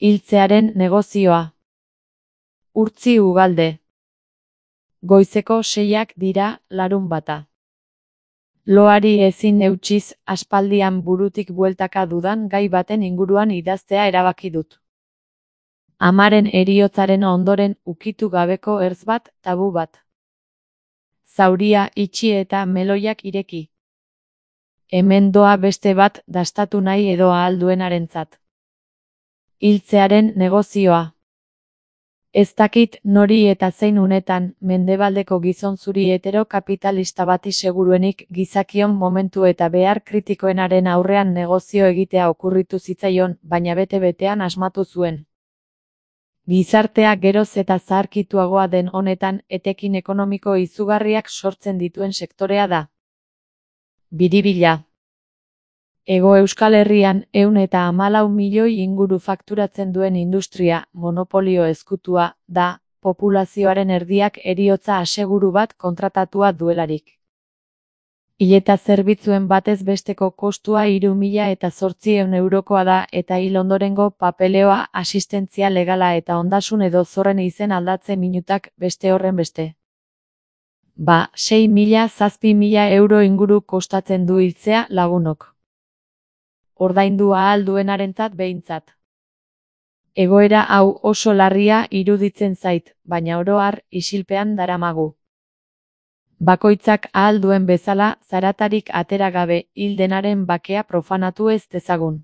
Hiltzearen negozioa. Urtzi Ugalde. Goizeko 6ak dira, larunbata. Loari ezin eutsiz, aspaldian burutik bueltaka dudan gai baten inguruan idaztea erabaki dut. Amaren heriotzaren ondoren ukitu gabeko ertz bat, tabu bat. Zauria itxi eta meloiak ireki. Hemen doa beste bat dastatu nahi edo ahal duenarentzat. Hiltzearen negozioa. Ez dakit nori eta zein unetan, mendebaldeko gizon zuri heterokapitalista bati seguruenik gizakion momentu eta behar kritikoenaren aurrean negozio egitea okurritu zitzaion, baina bete-betean asmatu zuen. Gizartea geroz eta zaharkituagoa den honetan, etekin ekonomiko izugarriak sortzen dituen sektorea da. Biribila. Hego Euskal Herrian 114 milioi inguru fakturatzen duen industria, monopolio ezkutua, da, populazioaren erdiak heriotza aseguru bat kontratatua duelarik. Hileta zerbitzuen batez besteko kostua 3.800 eurokoa da eta hil ondorengo papeleoa, asistentzia legala eta ondasun edo zorren izen aldatze minutak beste horren beste. 6.000-7.000 euro inguru kostatzen du hiltzea lagunok. Ordaindu ahal duenarentzat behintzat. Egoera hau oso larria iruditzen zait, baina oro har isilpean daramagu. Bakoitzak ahal duen bezala, zaratarik atera gabe, hil denaren bakea profanatu ez dezagun.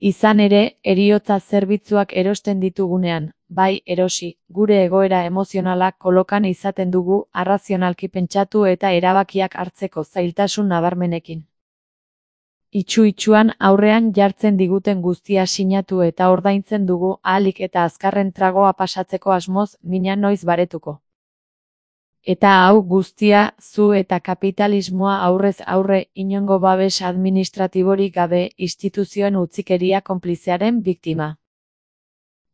Izan ere, heriotza zerbitzuak erosten ditugunean, bai erosi, gure egoera emozionala kolokan izaten dugu arrazionalki pentsatu eta erabakiak hartzeko zailtasun nabarmenekin. Itsu-itsuan aurrean jartzen diguten guztia sinatu eta ordaintzen dugu ahalik eta azkarren tragoa pasatzeko asmoz mina noiz baretuko. Eta hau guztia, zu eta kapitalismoa aurrez aurre inongo babes administratiborik gabe instituzioen utzikeria konplizearen biktima.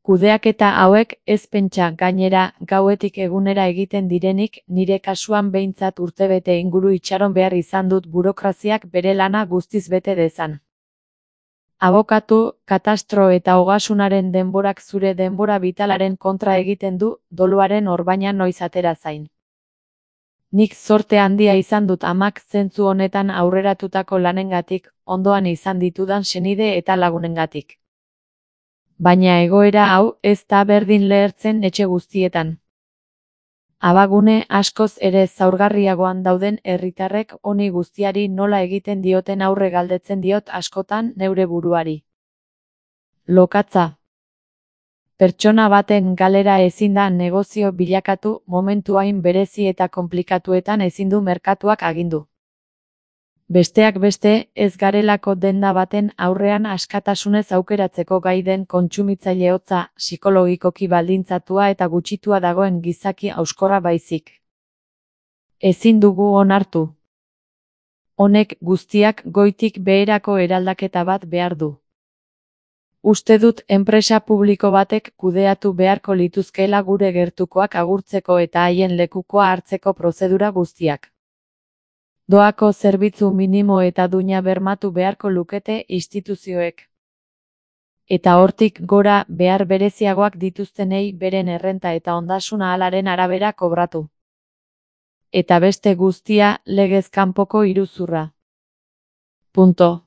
Kudeaketa hauek ez pentsa gainera gauetik egunera egiten direnik, nire kasuan behintzat urtebete inguru itxaron behar izan dut burokraziak bere lana guztiz bete dezan. Abokatu, katastro eta ogasunaren denborak zure denbora bitalaren kontra egiten du, doluaren orbaina noiz atera zain. Nik zorte handia izan dut amak zentzu honetan aurreratutako lanengatik, ondoan izan ditudan senide eta lagunengatik. Baina egoera hau ez da berdin lehertzen etxe guztietan. Abagune askoz ere zaurgarriagoan dauden herritarrek honi guztiari nola egiten dioten aurre galdetzen diot askotan neure buruari. Lokatza. Pertsona baten galera ezin da negozio bilakatu, momentu hain berezi eta konplikatuetan ezin du merkatuak agindu. Besteak beste, ez garelako denda baten aurrean askatasunez aukeratzeko gai den kontsumitzaile hotza, psikologikoki baldintzatua eta gutxitua dagoen gizaki hauskorra baizik. Ezin dugu onartu. Honek guztiak goitik beherako eraldaketa bat behar du. Uste dut enpresa publiko batek kudeatu beharko lituzkeela gure gertukoak agurtzeko eta haien lekukoa hartzeko prozedura guztiak. Doako zerbitzu minimo eta duina bermatu beharko lukete instituzioek. Eta hortik gora behar bereziagoak dituztenei beren errenta eta ondasun ahalaren arabera kobratu. Eta beste guztia legez kanpoko iruzurra. Punto.